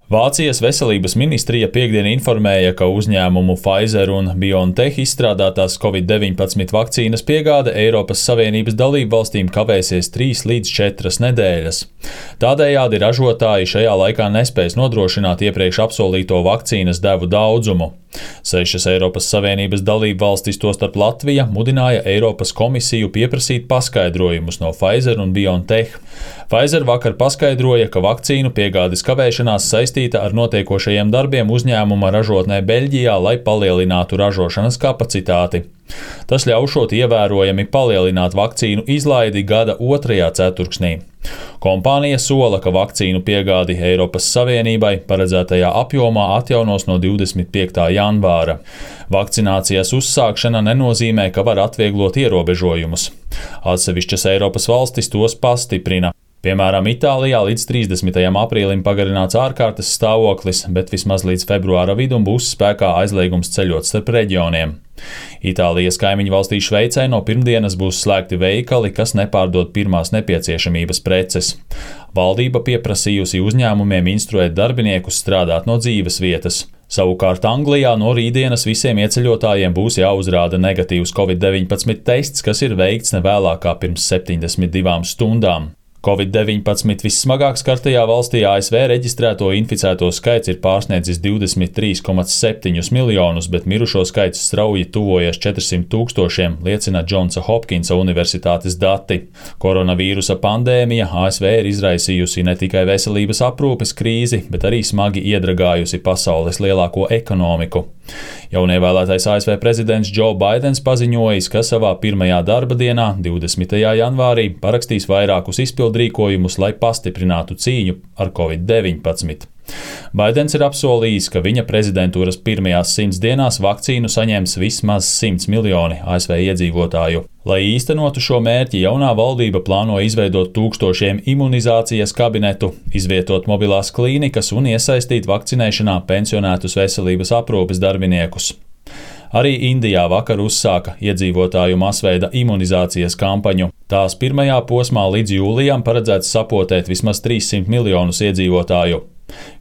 Vācijas veselības ministrija piektdien informēja, ka uzņēmumu Pfizer un BioNTech izstrādātās Covid-19 vakcīnas piegāde Eiropas Savienības dalībvalstīm kavēsies 3 līdz 4 nedēļas. Tādējādi ražotāji šajā laikā nespēs nodrošināt iepriekš apsolīto vakcīnas devu daudzumu. 6 Eiropas Savienības dalībvalstis, tostarp Latvija, mudināja Eiropas komisiju pieprasīt paskaidrojumus no Pfizer un BioNTech. Pfizer vakar paskaidroja, ka vakcīnu piegādes kavēšanās saistīta ar notiekošajiem darbiem uzņēmuma ražotnē Beļģijā, lai palielinātu ražošanas kapacitāti. Tas ļaušot ievērojami palielināt vakcīnu izlaidi gada 2. ceturksnī. Kompānija sola, ka vakcīnu piegādi Eiropas Savienībai paredzētajā apjomā atjaunos no 25. janvāra. Vakcinācijas uzsākšana nenozīmē, ka var atvieglot ierobežojumus. Atsevišķas Eiropas valstis tos pastiprina. Piemēram, Itālijā līdz 30. aprīlim pagarināts ārkārtas stāvoklis, bet vismaz līdz februāra vidum būs spēkā aizliegums ceļot starp reģioniem. Itālijas kaimiņu valstī Šveicē no pirmdienas būs slēgti veikali, kas nepārdod pirmās nepieciešamības preces. Valdība pieprasījusi uzņēmumiem instruēt darbiniekus strādāt no dzīves vietas. Savukārt Anglijā no rītdienas visiem ieceļotājiem būs jāuzrāda negatīvs Covid-19 tests, kas ir veikts nevēlākā pirms 72 stundām. Covid-19 vissmagāk skartajā valstī ASV reģistrēto inficēto skaits ir pārsniedzis 23,7 miljonus, bet mirušo skaits strauji tuvojas 400 000, liecina Džonsa Hopkinsa universitātes dati. Koronavīrusa pandēmija ASV ir izraisījusi ne tikai veselības aprūpes krīzi, bet arī smagi iedragājusi pasaules lielāko ekonomiku. Jaunievēlētais ASV prezidents Joe Baidens paziņojis, ka savā pirmajā darba dienā, 20. janvārī, parakstīs vairākus izpildrīkojumus, lai pastiprinātu cīņu ar Covid-19. Baidens ir apsolījis, ka viņa prezidentūras pirmajās 100 dienās vakcīnu saņems vismaz 100 miljoni ASV iedzīvotāju. Lai īstenotu šo mērķi, jaunā valdība plāno izveidot 1000 imunizācijas kabinetu, izvietot mobilās klīnikas un iesaistīt vakcinēšanā pensionētus veselības aprūpes darbiniekus. Arī Indijā vakar uzsāka iedzīvotāju masveida imunizācijas kampaņu. Tās pirmajā posmā līdz jūlijam paredzēts sapotēt vismaz 300 miljonus iedzīvotāju.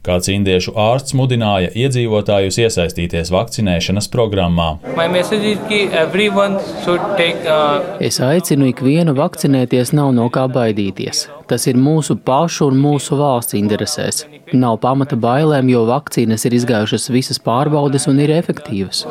Kāds indiešu ārsts mudināja iedzīvotājus iesaistīties vakcinēšanas programmā. Es aicinu ikvienu vakcinēties, nav no kā baidīties. Tas ir mūsu pašu un mūsu valsts interesēs. Nav pamata bailēm, jo vakcīnas ir izgājušas visas pārbaudes un ir efektīvas.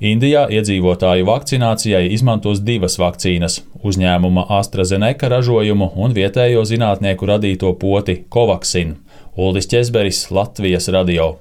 Indijā iedzīvotāju vakcinācijai izmantos 2 vakcīnas - uzņēmuma AstraZeneca ražojumu un vietējo zinātnieku radīto poti Covaxin. Uldis Ķezberis, Latvijas radio.